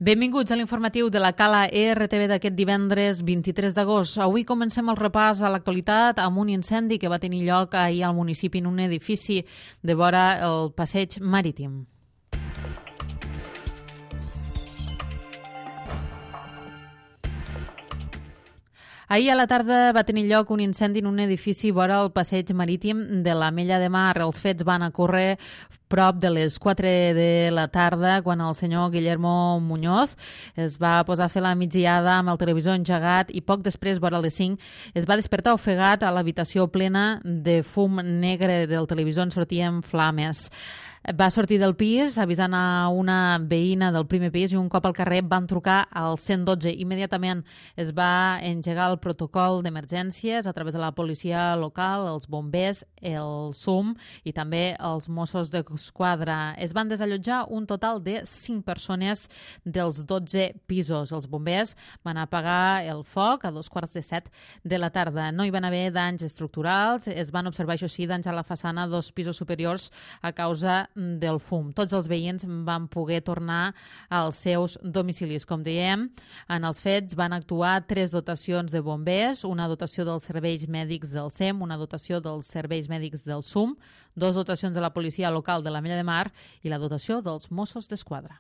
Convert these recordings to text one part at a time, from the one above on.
Benvinguts a l'informatiu de la Cala ERTV d'aquest divendres 23 d'agost. Avui comencem el repàs a l'actualitat amb un incendi que va tenir lloc ahir al municipi en un edifici de vora el passeig marítim. Ahir a la tarda va tenir lloc un incendi en un edifici vora el passeig marítim de l'Ametlla de Mar. Els fets van ocórrer prop de les 4 de la tarda quan el senyor Guillermo Muñoz es va posar a fer la migdiada amb el televisor engegat i poc després, vora les 5, es va despertar ofegat a l'habitació plena de fum negre del televisor on sortien flames. Va sortir del pis avisant a una veïna del primer pis i un cop al carrer van trucar al 112. Immediatament es va engegar el protocol d'emergències a través de la policia local, els bombers, el SUM i també els Mossos d'Esquadra. Es van desallotjar un total de 5 persones dels 12 pisos. Els bombers van apagar el foc a 2:15 de la tarda. No hi van haver danys estructurals, es van observar, això sí, danys a la façana dos pisos superiors a causa del fum. Tots els veïns van poder tornar als seus domicilis. Com dèiem, en els fets van actuar 3 dotacions de bombers, una dotació dels serveis mèdics del SEM, una dotació dels serveis mèdics del SUM, 2 dotacions de la policia local de l'Ametlla de Mar i la dotació dels Mossos d'Esquadra.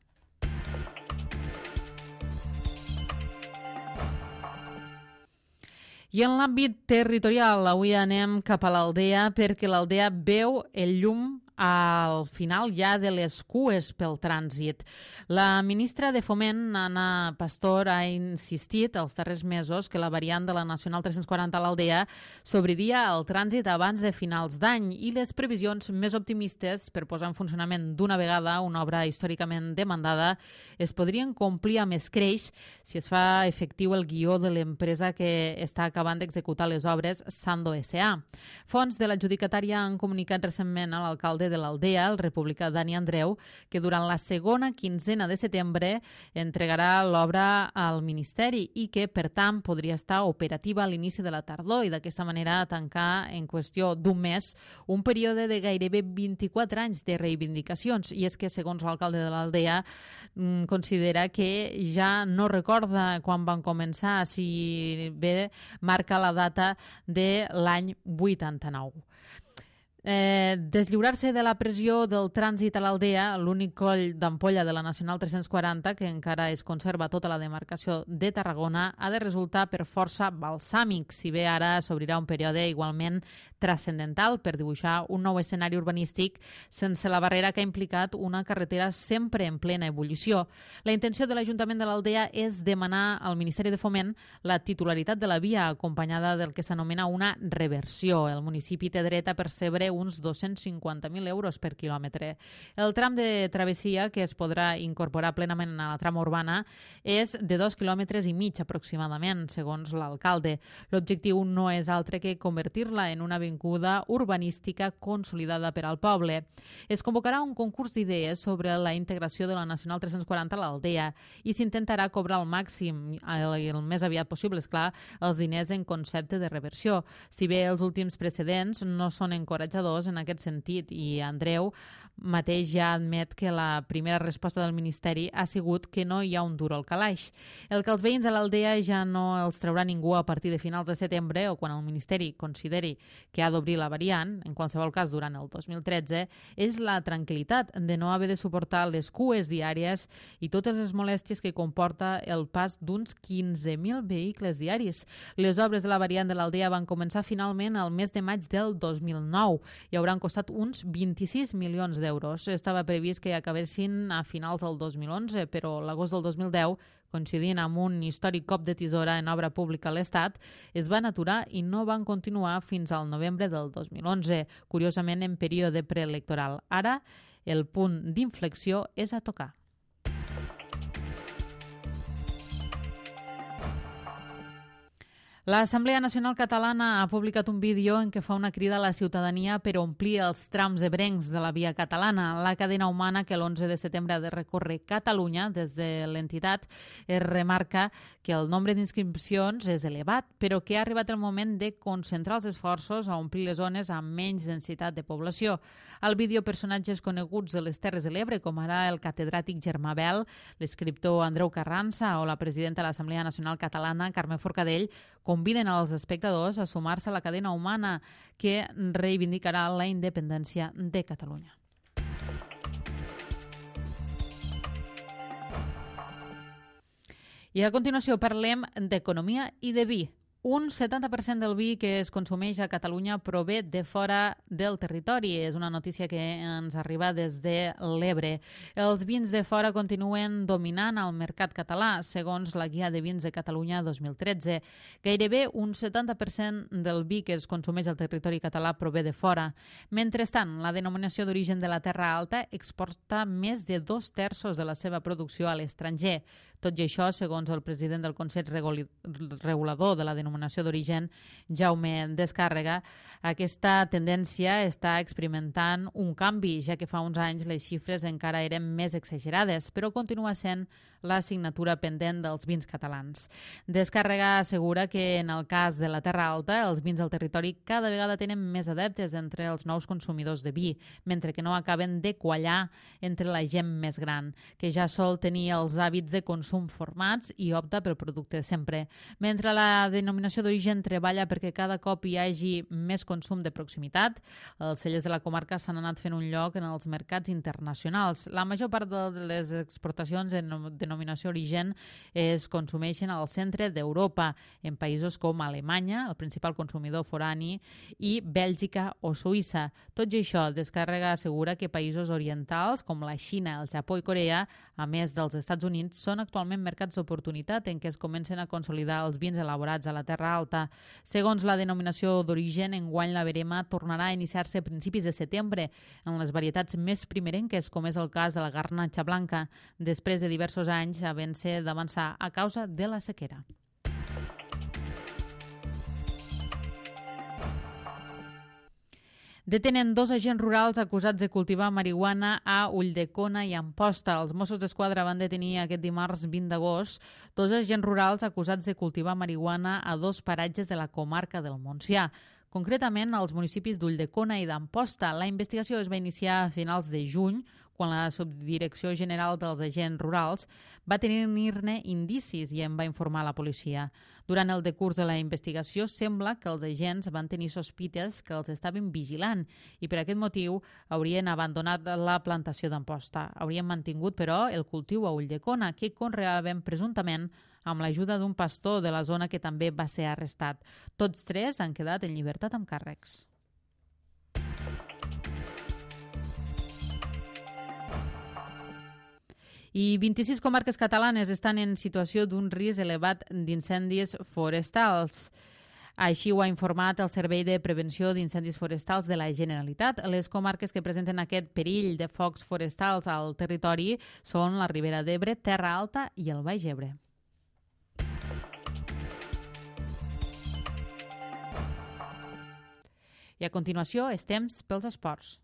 I en l'àmbit territorial, avui anem cap a l'Aldea perquè l'Aldea veu el llum al final ja de les cues pel trànsit. La ministra de Foment, Ana Pastor, ha insistit els darrers mesos que la variant de la Nacional 340 a l'Aldea s'obriria al trànsit abans de finals d'any i les previsions més optimistes per posar en funcionament d'una vegada una obra històricament demandada es podrien complir amb escreix si es fa efectiu el guió de l'empresa que està acabant d'executar les obres, Sando S.A. Fonts de l'adjudicatària han comunicat recentment a l'alcalde de l'Aldea, el republicà Dani Andreu, que durant la segona quinzena de setembre entregarà l'obra al Ministeri i que, per tant, podria estar operativa a l'inici de la tardor i d'aquesta manera tancar en qüestió d'un mes un període de gairebé 24 anys de reivindicacions. I és que, segons l'alcalde de l'Aldea, considera que ja no recorda quan van començar, si bé marca la data de l'any 89. Deslliurar-se de la pressió del trànsit a l'Aldea, l'únic coll d'ampolla de la Nacional 340, que encara es conserva tota la demarcació de Tarragona, ha de resultar per força balsàmic, si bé ara s'obrirà un període igualment transcendental per dibuixar un nou escenari urbanístic sense la barrera que ha implicat una carretera sempre en plena ebullició. La intenció de l'Ajuntament de l'Aldea és demanar al Ministeri de Foment la titularitat de la via, acompanyada del que s'anomena una reversió. El municipi té dret a percebre uns 250.000 euros per quilòmetre. El tram de travessia, que es podrà incorporar plenament a la trama urbana, és de 2,5 quilòmetres aproximadament, segons l'alcalde. L'objectiu no és altre que convertir-la en una avinguda urbanística consolidada per al poble. Es convocarà un concurs d'idees sobre la integració de la Nacional 340 a l'Aldea i s'intentarà cobrar al màxim, el més aviat possible, esclar, els diners en concepte de reversió. Si bé els últims precedents no són encoratjadors en aquest sentit i Andreu mateix ja admet que la primera resposta del Ministeri ha sigut que no hi ha un duro al calaix. El que els veïns de l'Aldea ja no els traurà ningú a partir de finals de setembre o quan el Ministeri consideri que ha d'obrir la variant, en qualsevol cas durant el 2013, és la tranquil·litat de no haver de suportar les cues diàries i totes les molèsties que comporta el pas d'uns 15.000 vehicles diaris. Les obres de la variant de l'Aldea van començar finalment al mes de maig del 2009 i hauran costat uns 26 milions d'euros. Estava previst que acabessin a finals del 2011, però l'agost del 2010, coincidint amb un històric cop de tisora en obra pública a l'Estat, es van aturar i no van continuar fins al novembre del 2011, curiosament en període preelectoral. Ara, el punt d'inflexió és a tocar. L'Assemblea Nacional Catalana ha publicat un vídeo en què fa una crida a la ciutadania per omplir els trams ebrencs de la via catalana. La cadena humana que l'11 de setembre ha de recórrer Catalunya des de l'entitat es remarca que el nombre d'inscripcions és elevat, però que ha arribat el moment de concentrar els esforços a omplir les zones amb menys densitat de població. Al vídeo, personatges coneguts de les Terres de l'Ebre, com ara el catedràtic Germà Bel, l'escriptor Andreu Carranza o la presidenta de l'Assemblea Nacional Catalana, Carme Forcadell, conviden als espectadors a sumar-se a la cadena humana que reivindicarà la independència de Catalunya. I a continuació parlem d'economia i de vi. Un 70% del vi que es consumeix a Catalunya prové de fora del territori. És una notícia que ens arriba des de l'Ebre. Els vins de fora continuen dominant el mercat català, segons la Guia de Vins de Catalunya 2013. Gairebé un 70% del vi que es consumeix al territori català prové de fora. Mentrestant, la denominació d'origen de la Terra Alta exporta més de 2/3 de la seva producció a l'estranger. Tot i això, segons el president del Consell Regulador de la Denominació d'Origen, Jaume Descàrrega, aquesta tendència està experimentant un canvi, ja que fa uns anys les xifres encara eren més exagerades, però continua sent l'assignatura pendent dels vins catalans. Descàrrega assegura que en el cas de la Terra Alta, els vins del territori cada vegada tenen més adeptes entre els nous consumidors de vi, mentre que no acaben de quallar entre la gent més gran, que ja sol tenir els hàbits de consum formats i opta pel producte de sempre. Mentre la denominació d'origen treballa perquè cada cop hi hagi més consum de proximitat, els cellers de la comarca s'han anat fent un lloc en els mercats internacionals. La major part de les exportacions en denominació d'origen es consumeixen al centre d'Europa, en països com Alemanya, el principal consumidor forani, i Bèlgica o Suïssa. Tot i això, Descàrrega assegura que països orientals com la Xina, el Japó i Corea, a més dels Estats Units, són actualment mercats d'oportunitat en què es comencen a consolidar els vins elaborats a la Terra Alta. Segons la denominació d'origen, enguany la verema tornarà a iniciar-se a principis de setembre en les varietats més primerenques, com és el cas de la garnatxa blanca, després de diversos anys havent-se d'avançar a causa de la sequera. Detenen 2 agents rurals acusats de cultivar marihuana a Ulldecona i Amposta. Els Mossos d'Esquadra van detenir aquest dimarts 20 d'agost 2 agents rurals acusats de cultivar marihuana a 2 paratges de la comarca del Montsià, concretament als municipis d'Ulldecona i d'Amposta. La investigació es va iniciar a finals de juny, quan la Subdirecció General dels Agents Rurals va tenir-ne indicis i en va informar la policia. Durant el decurs de la investigació sembla que els agents van tenir sospites que els estaven vigilant i per aquest motiu haurien abandonat la plantació d'Amposta. Haurien mantingut, però, el cultiu a Ulldecona, que conreaven presumptament amb l'ajuda d'un pastor de la zona que també va ser arrestat. Tots 3 han quedat en llibertat amb càrrecs. I 26 comarques catalanes estan en situació d'un risc elevat d'incendis forestals. Així ho ha informat el Servei de Prevenció d'Incendis Forestals de la Generalitat. Les comarques que presenten aquest perill de focs forestals al territori són la Ribera d'Ebre, Terra Alta i el Baix Ebre. I a continuació és temps pels esports.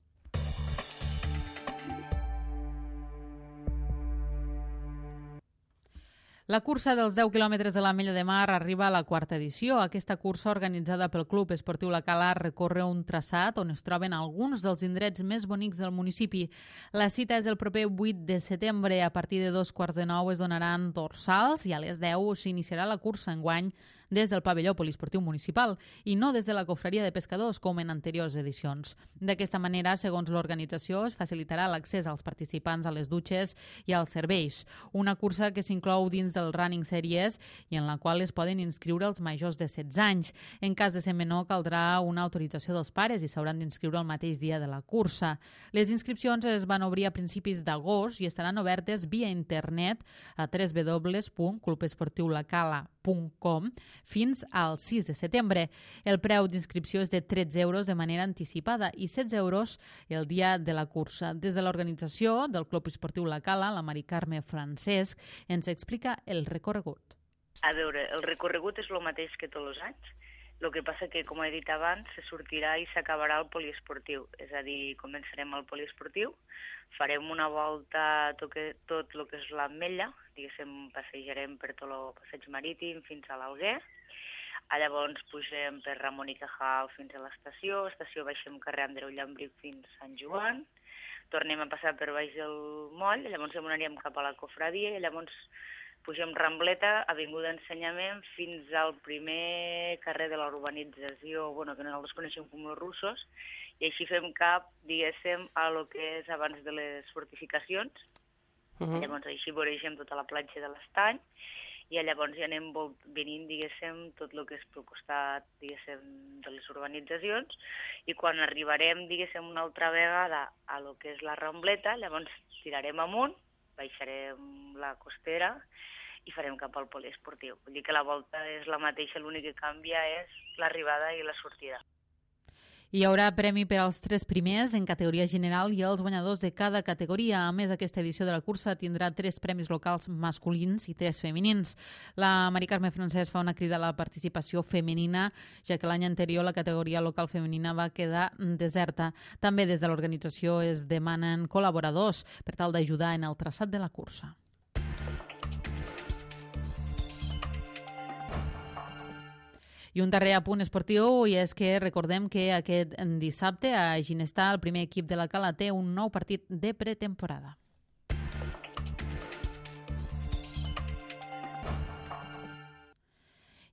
La cursa dels 10 quilòmetres de l'Ametlla de Mar arriba a la 4ª edició. Aquesta cursa, organitzada pel Club Esportiu La Cala, recorre un traçat on es troben alguns dels indrets més bonics del municipi. La cita és el proper 8 de setembre. A partir de 8:45 es donaran dorsals i a les 10 s'iniciarà la cursa enguany des del pavelló poliesportiu municipal i no des de la cofreria de pescadors com en anteriors edicions. D'aquesta manera, segons l'organització, es facilitarà l'accés als participants a les dutxes i als serveis. Una cursa que s'inclou dins del Running Series i en la qual es poden inscriure els majors de 16 anys. En cas de ser menor, caldrà una autorització dels pares i s'hauran d'inscriure el mateix dia de la cursa. Les inscripcions es van obrir a principis d'agost i estaran obertes via internet a www.clubesportiulacala.com fins al 6 de setembre. El preu d'inscripció és de 13 euros de manera anticipada i 16 euros el dia de la cursa. Des de l'organització del Club Esportiu La Cala, la Mari Carme Francesc ens explica el recorregut. A veure, el recorregut és el mateix que tots els anys. El que passa que, com he dit abans, se sortirà i s'acabarà el poliesportiu. És a dir, començarem el poliesportiu, farem una volta tot el que és l'Ametlla, diguéssim, passejarem per tot el passeig marítim fins a l'Alguer. Llavors pugem per Ramon i Cajal fins a l'estació baixem carrer Andreu Llambric fins a Sant Joan, tornem a passar per baix del moll, llavors anirem cap a la Cofradia i llavors pugem Rambleta, Avinguda Ensenyament, fins al primer carrer de la urbanització, que nosaltres coneixem com els Russos, i així fem cap, diguéssim, a lo que és abans de les fortificacions. Llavors així voregem tota la platja de l'Estany, i llavors ja anem venint, diguéssim, tot el que és pel costat, diguéssim, de les urbanitzacions, i quan arribarem, diguéssim, una altra vegada a lo que és la Rambleta, llavors tirarem amunt, baixarem la costera i farem cap al poliesportiu. Vull dir que la volta és la mateixa, l'únic que canvia és l'arribada i la sortida. Hi haurà premi per als 3 primers en categoria general i els guanyadors de cada categoria. A més, aquesta edició de la cursa tindrà 3 premis locals masculins i 3 femenins. La Mari Carme Francesc fa una crida a la participació femenina, ja que l'any anterior la categoria local femenina va quedar deserta. També des de l'organització es demanen col·laboradors per tal d'ajudar en el traçat de la cursa. I un darrer apunt esportiu, i és que recordem que aquest dissabte a Ginestar el primer equip de la Cala té un nou partit de pretemporada.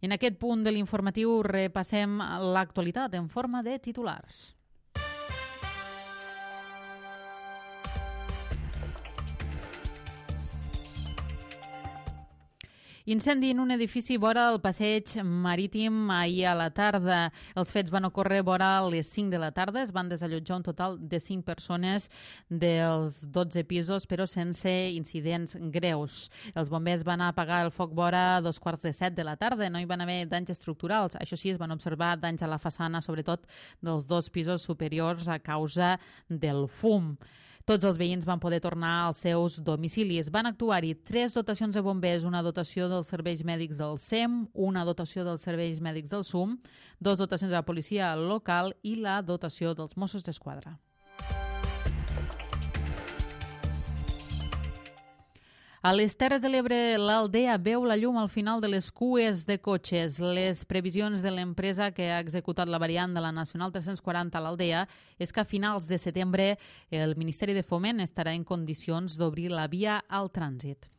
En aquest punt de l'informatiu repassem l'actualitat en forma de titulars. Incendi en un edifici vora el passeig marítim ahir a la tarda. Els fets van ocórrer vora les 5 de la tarda. Es van desallotjar un total de 5 persones dels 12 pisos, però sense incidents greus. Els bombers van apagar el foc vora 2:45 de la tarda. No hi van haver danys estructurals. Això sí, es van observar danys a la façana, sobretot dels 2 pisos superiors a causa del fum. Tots els veïns van poder tornar als seus domicilis. Van actuar-hi 3 dotacions de bombers, una dotació dels serveis mèdics del SEM, una dotació dels serveis mèdics del SUM, 2 dotacions de la policia local i la dotació dels Mossos d'Esquadra. A les Terres de l'Ebre, l'Aldea veu la llum al final de les cues de cotxes. Les previsions de l'empresa que ha executat la variant de la Nacional 340 a l'Aldea és que a finals de setembre el Ministeri de Foment estarà en condicions d'obrir la via al trànsit.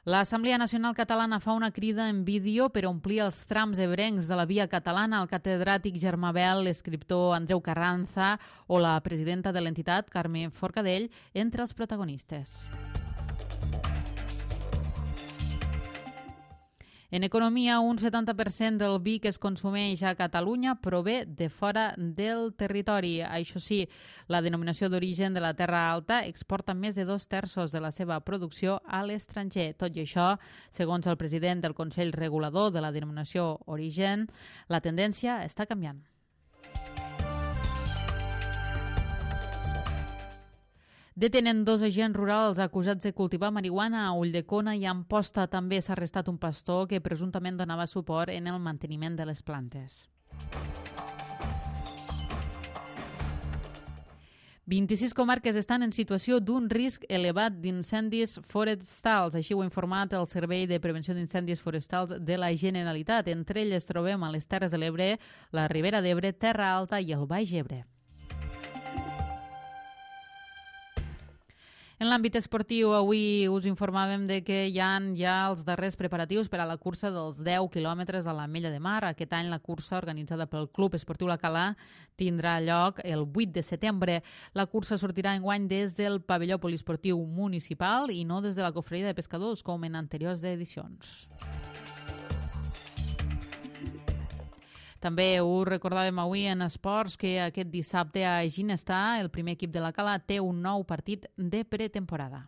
L'Assemblea Nacional Catalana fa una crida en vídeo per omplir els trams ebrencs de la via catalana. El catedràtic Germà Bel, l'escriptor Andreu Carranza o la presidenta de l'entitat, Carme Forcadell, entre els protagonistes. En economia, un 70% del vi que es consumeix a Catalunya prové de fora del territori. Això sí, la denominació d'origen de la Terra Alta exporta més de 2/3 de la seva producció a l'estranger. Tot i això, segons el president del Consell Regulador de la denominació origen, la tendència està canviant. Detenen 2 agents rurals acusats de cultivar marihuana a Ulldecona i a Amposta. També s'ha arrestat un pastor que presumptament donava suport en el manteniment de les plantes. 26 comarques estan en situació d'un risc elevat d'incendis forestals. Així ho ha informat el Servei de Prevenció d'Incendis Forestals de la Generalitat. Entre elles trobem a les Terres de l'Ebre, la Ribera d'Ebre, Terra Alta i el Baix Ebre. En l'àmbit esportiu, avui us informàvem de que hi ha ja els darrers preparatius per a la cursa dels 10 quilòmetres a l'Ametlla de Mar. Aquest any la cursa, organitzada pel Club Esportiu La Cala, tindrà lloc el 8 de setembre. La cursa sortirà enguany des del pavelló poliesportiu municipal i no des de la Cofreria de Pescadors, com en anteriors edicions. També us recordàvem avui en esports que aquest dissabte a Ginestar el primer equip de la Cala té un nou partit de pretemporada.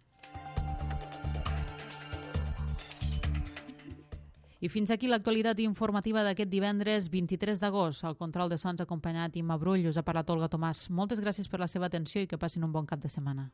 I fins aquí l'actualitat informativa d'aquest divendres 23 d'agost. Al control de sons acompanyat Imma Brull, us ha parlat Olga Tomàs. Moltes gràcies per la seva atenció i que passin un bon cap de setmana.